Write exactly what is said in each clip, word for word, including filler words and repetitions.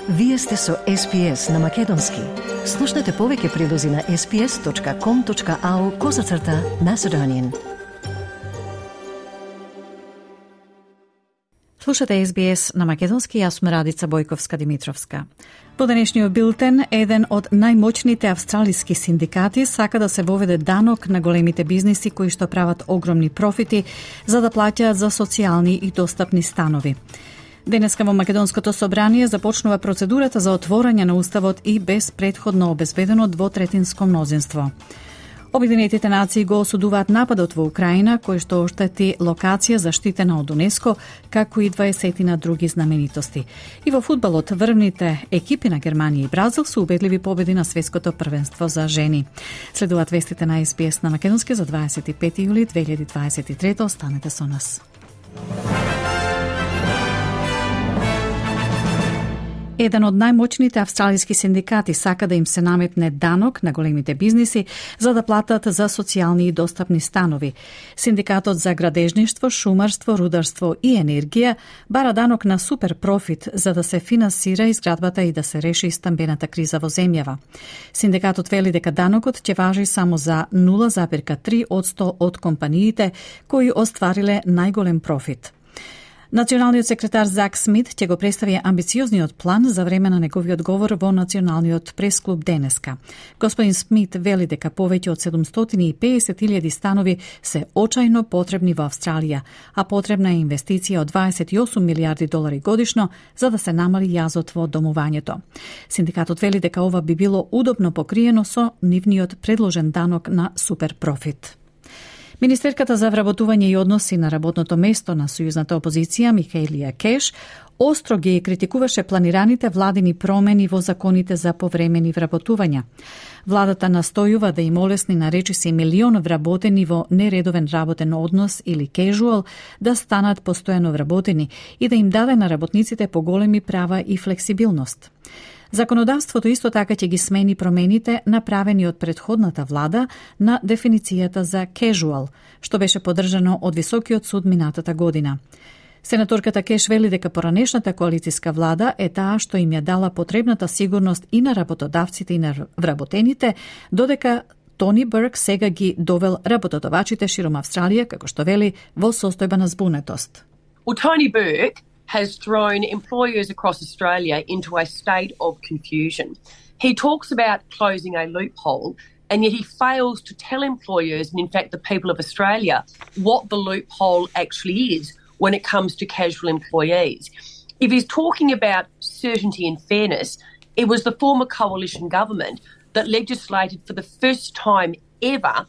Вие сте со Ес Би Ес на Македонски. Слушнете повеќе прилози на ес би ес точка ком точка ау козацрта Macedonian. Слушате Ес Би Ес на Македонски, јас сум Радица Бојковска-Димитровска. По денешниот билтен, еден од најмоćните австралиски синдикати сака да се воведе данок на големите бизниси кои што прават огромни профити за да плаќаат за социјални и достапни станови. Денеска во Македонското собрание започнува процедурата за отворање на Уставот и без претходно обезбедено двотретинско мнозинство. Обединетите нации го осудуваат нападот во Украина, кој што оштети локација заштитена од УНЕСКО, како и дваесет други знаменитости. И во фудбалот врвните екипи на Германија и Бразил се убедливи победи на светското првенство за жени. Следуваат вестите на Ес Би Ес на Македонски за дваесет и пети јули две илјади дваесет и трета. Останете со нас. Еден од најмоćните австралиски синдикати сака да им се наметне данок на големите бизниси за да платат за социјални и достапни станови. Синдикатот за градежништво, шумарство, рударство и енергија бара данок на супер профит за да се финансира изградбата и да се реши стамбената криза во земјава. Синдикатот вели дека данокот ќе важи само за нула зарез три одсто од компаниите кои оствариле најголем профит. Националниот секретар Зак Смит ќе го представи амбициозниот план за време на неговиот говор во Националниот пресклуб денеска. Господин Смит вели дека повеќе од седумстотини и педесет илјади станови се очајно потребни во Австралија, а потребна е инвестиција од дваесет и осум милијарди долари годишно за да се намали јазот во домувањето. Синдикатот вели дека ова би било удобно покриено со нивниот предложен данок на суперпрофит. Министерката за вработување и односи на работното место на сојузната опозиција Михаелија Кеш остро ги критикуваше планираните владини промени во законите за повремени вработувања. Владата настојува да им олесни на речиси милион вработени во нередовен работен однос или casual да станат постојано вработени и да им даде на работниците поголеми права и флексибилност. Законодавството исто така ќе ги смени промените направени од претходната влада на дефиницијата за casual, што беше поддржано од Високиот суд минатата година. Сенаторката Кеш вели дека поранешната коалициска влада е таа што им ја дала потребната сигурност и на работодавците и на вработените, додека Тони Бурк сега ги довел работодавачите широм Австралија, како што вели, во состојба на збунетост. Well, Tony Burke has thrown employers across Australia into a state of confusion. He talks about closing a loophole, and yet he fails to tell employers, and in fact the people of Australia, what the loophole actually is when it comes to casual employees. If he's talking about certainty and fairness, it was the former coalition government that legislated for the first time ever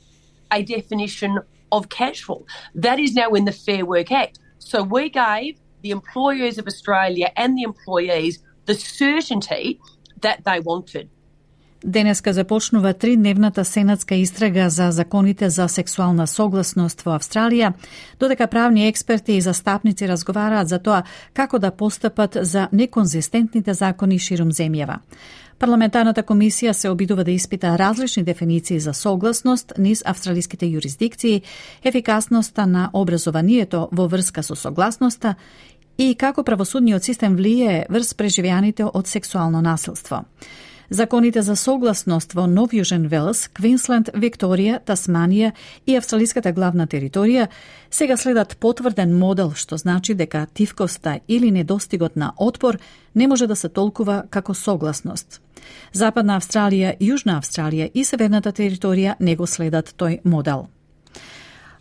a definition of casual. That is now in the Fair Work Act. So we gave the employers of Australia and the employees the certainty that they wanted. Денеска започнува тридневната сенатска истрага за законите за сексуална согласност во Австралија, додека правни експерти и застапници разговараат за тоа како да постапат за неконзистентните закони широм земјава. Парламентарната комисија се обидува да испита различни дефиниции за согласност низ австралиските јурисдикции, ефикасноста на образованието во врска со согласноста и како правосудниот систем влијае врз преживеаните од сексуално насилство. Законите за согласност во Нов Јужен Велс, Квинсленд, Викторија, Тасманија и австралиската главна територија сега следат потврден модел, што значи дека тивкоста или недостигот на отпор не може да се толкува како согласност. Западна Австралија, Јужна Австралија и Северната територија не го следат тој модел.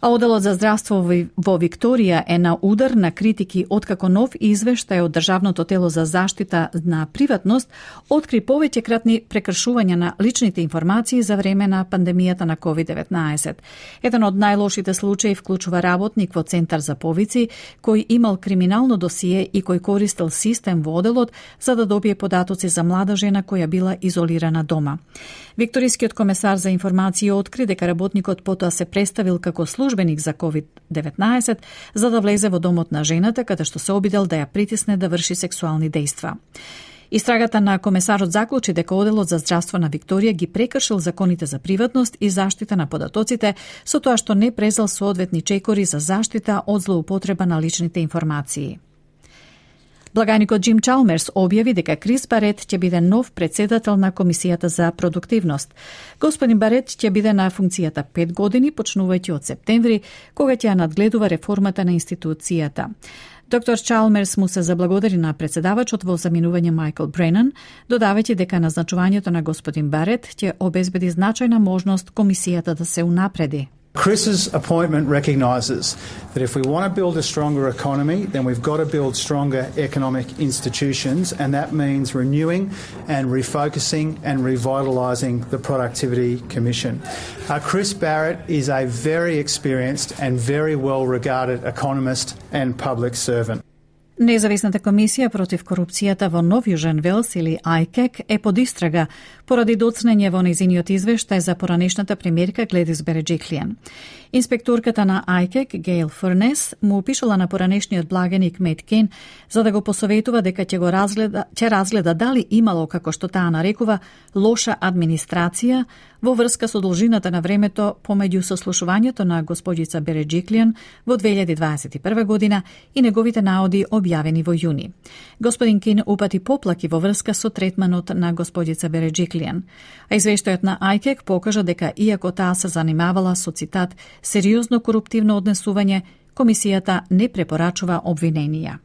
А Оделот за здравство во Викторија е на удар на критики откако нов извештај од Државното тело за заштита на приватност откри повеќекратни прекршувања на личните информации за време на пандемијата на ковид деветнаесет. Еден од најлошите случаи вклучува работник во Центар за повици кој имал криминално досие и кој користел систем во Оделот за да добие податоци за млада жена која била изолирана дома. Викторискиот комесар за информација откри дека работникот потоа се представил како службеник за ковид деветнаесет за да влезе во домот на жената, каде што се обидел да ја притисне да врши сексуални дејства. Истрагата на комесарот заклучи дека Оделот за здравство на Викторија ги прекршил законите за приватност и заштита на податоците со тоа што не презал соодветни чекори за заштита од злоупотреба на личните информации. Благаникот Джим Чалмерс објави дека Крис Барет ќе биде нов председател на Комисијата за продуктивност. Господин Барет ќе биде на функцијата пет години, почнувајќи од септември, кога ќе ја надгледува реформата на институцијата. Доктор Чалмерс му се заблагодари на председавачот во заминување Майкл Бренан, додавајќи дека назначувањето на господин Барет ќе обезбеди значајна можност комисијата да се унапреди. Chris's appointment recognises that if we want to build a stronger economy, then we've got to build stronger economic institutions, and that means renewing and refocusing and revitalising the Productivity Commission. Uh, Chris Barrett is a very experienced and very well-regarded economist and public servant. Независната комисија против корупцијата во Нов Јужен Велс или ај кей ей е под истрага поради доцнење во нејзиниот извештај за поранешната премиерка Гледис Береджиклијан. Инспекторката на ај кей ей, Гейл Фурнес, му пишала на поранешниот благаник Мет Кен за да го посоветува дека ќе го разгледа, ќе разгледа дали имало, како што таа нарекува, лоша администрација во врска со должината на времето помеѓу сослушувањето на господица Береджиклијан во две илјади дваесет и прва година и неговите наоди објавени во јуни. Господин Кин упати поплаки во врска со третманот на господица Береджиклијан, а извештајот на ај кей ей покажа дека иако таа се занимавала со, цитат, сериозно коруптивно однесување, комисијата не препорачува обвиненија.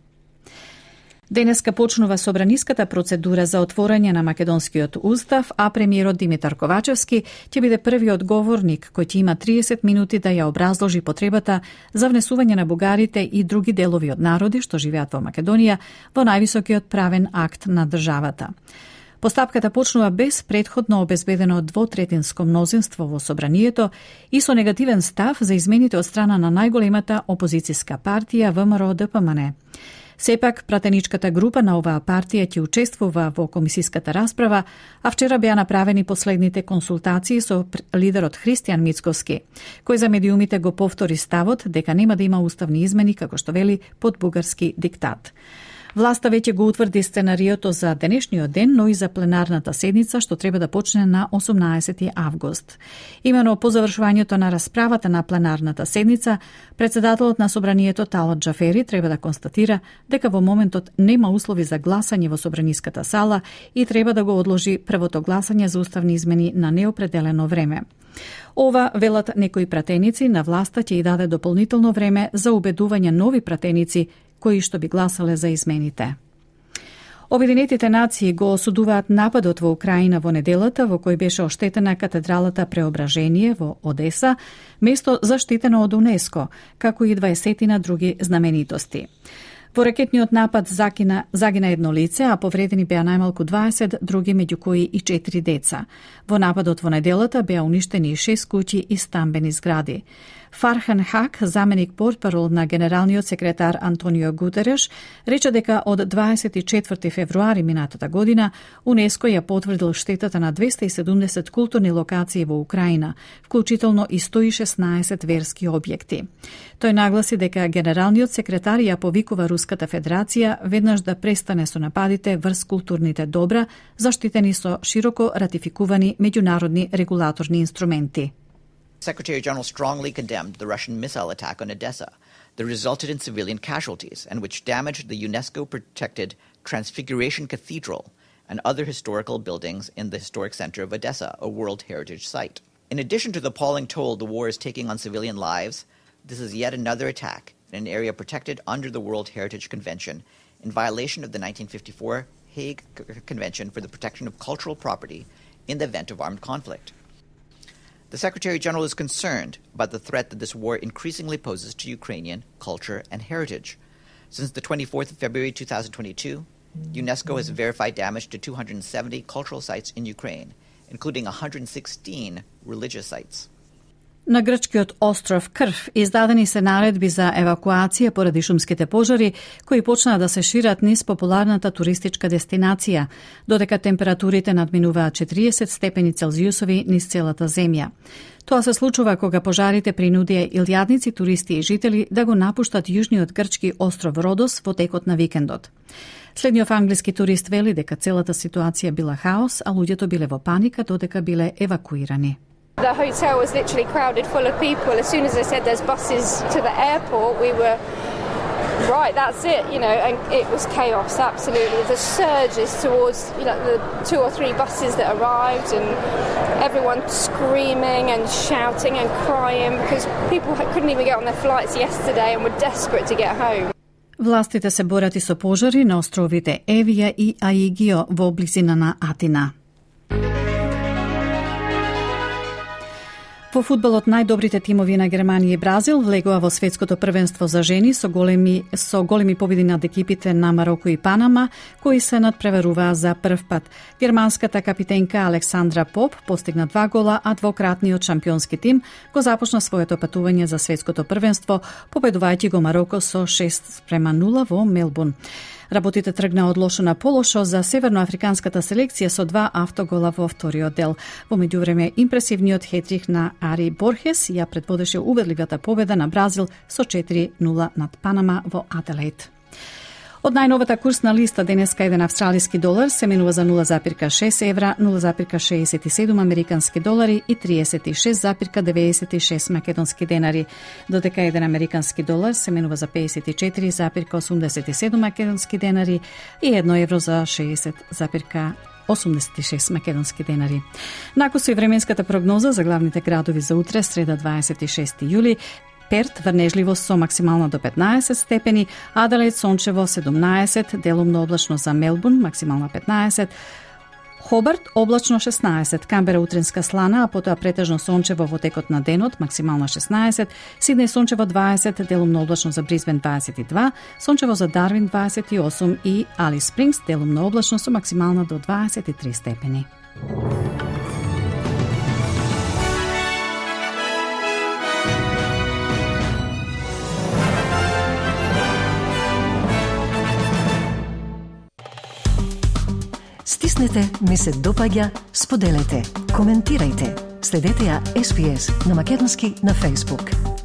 Денеска почнува собраниската процедура за отворање на македонскиот устав, а премиерот Димитар Ковачевски ќе биде првиот говорник кој ќе има триесет минути да ја образложи потребата за внесување на бугарите и други делови од народи што живеат во Македонија во највисокиот правен акт на државата. Постапката почнува без претходно обезбедено двотретинско мнозинство во собранието и со негативен став за измените од страна на најголемата опозицијска партија Вэ Ем Ар О Д П М Н. Сепак, пратеничката група на оваа партија ќе учествува во комисиската расправа, а вчера беа направени последните консултации со лидерот Христијан Мицковски, кој за медиумите го повтори ставот дека нема да има уставни измени, како што вели, под бугарски диктат. Власта веќе го утврди сценариото за денешниот ден, но и за пленарната седница, што треба да почне на осумнаесети август. Имено по завршувањето на расправата на пленарната седница, председателот на собранието Талат Джафери треба да констатира дека во моментот нема услови за гласање во собраниската сала и треба да го одложи првото гласање за уставни измени на неопределено време. Ова, велат некои пратеници, на власта ќе и даде дополнително време за убедување нови пратеници кои што би гласале за измените. Обединетите нации го осудуваат нападот во Украина во неделата, во кој беше оштетена катедралата Преображение во Одеса, место заштитено од УНЕСКО, како и дваесетина други знаменитости. Во ракетниот напад загина, загина едно лице, а повредени беа најмалку дваесет други, меѓу кои и четири деца. Во нападот во неделата беа уништени шест куќи и стамбени згради. Фархан Хак, заменик портпарол на генералниот секретар Антонио Гутереш, рече дека од дваесет и четврти февруари минатата година УНЕСКО ја потврдил штетата на двесте и седумдесет културни локации во Украина, вклучително и сто и шеснаесет верски објекти. Тој нагласи дека генералниот секретар ја повикува Руската Федерација веднаш да престане со нападите врз културните добра, заштитени со широко ратификувани меѓународни регулаторни инструменти. Secretary General strongly condemned the Russian missile attack on Odessa that resulted in civilian casualties and which damaged the UNESCO-protected Transfiguration Cathedral and other historical buildings in the historic center of Odessa, a World Heritage Site. In addition to the appalling toll the war is taking on civilian lives, this is yet another attack in an area protected under the World Heritage Convention in violation of the nineteen fifty-four Hague Convention for the Protection of Cultural Property in the event of armed conflict. The Secretary-General is concerned about the threat that this war increasingly poses to Ukrainian culture and heritage. Since the twenty-fourth of February two thousand twenty-two, UNESCO has verified damage to two hundred seventy cultural sites in Ukraine, including one hundred sixteen religious sites. На грчкиот остров Крф издадени се наредби за евакуација поради шумските пожари кои почнаа да се шират низ популарната туристичка дестинација, додека температурите надминуваат четириесет степени Целзиусови низ целата земја. Тоа се случува кога пожарите принудија илјадници туристи и жители да го напуштат јужниот грчки остров Родос во текот на викендот. Следниот англиски турист вели дека целата ситуација била хаос, а луѓето биле во паника додека биле евакуирани. The hotel was literally crowded full of people. As soon as they said there's buses to the airport, we were right, that's it, you know, and it was chaos, absolutely. The surges towards, you know, the two or three buses that arrived and everyone screaming and shouting and crying because people couldn't even get on their flights yesterday and were desperate to get home. Властите се борат и со пожари на островите Евија и Аигио во близина на Атина. Во фудбалот најдобрите тимови на Германија и Бразил влегоа во светското првенство за жени со големи со големи победи над екипите на Мароко и Панама, кои се надпреваруваа за прв пат. Германската капитенка Александра Поп постигна два гола, а двократниот шампионски тим го започна своето патување за светското првенство, победувајќи го Мароко со шест спрема нула во Мелбурн. Работите тргна од лошо на полошо за северноафриканската селекција со два автогола во вториот дел. Во меѓувреме, импресивниот хетрик на Ари Борхес ја предводеше убедливата победа на Бразил со четири нула над Панама во Аделаид. Од најновата курсна листа денеска еден австралиски долар се менува за нула запирка шест евра, нула запирка шеесет и седум американски долари и триесет и шест запирка деветдесет и шест македонски денари, додека еден американски долар се менува за пеесет и четири запирка осумдесет и седум македонски денари и едно евро за шеесет запирка осумдесет и шест македонски денари. Накусо и временската прогноза за главните градови за утре, среда дваесет и шести јули, Перт врнежливо со максимална до петнаесет степени, Аделаид сончево седумнаесет, делумно облачно за Мелбурн, максимална петнаесет, Хобарт облачно шеснаесет, Камбера утринска слана, а потоа претежно сончево во текот на денот, максимална шеснаесет, Сиднеј сончево дваесет, делумно облачно за Брисбен дваесет и два, сончево за Дарвин дваесет и осум и Алис Спрингс делумно облачно со максимална до дваесет и три степени. Стиснете, ми се допаѓа, споделете, коментирајте. Следете ја Ес Би Ес на македонски на Facebook.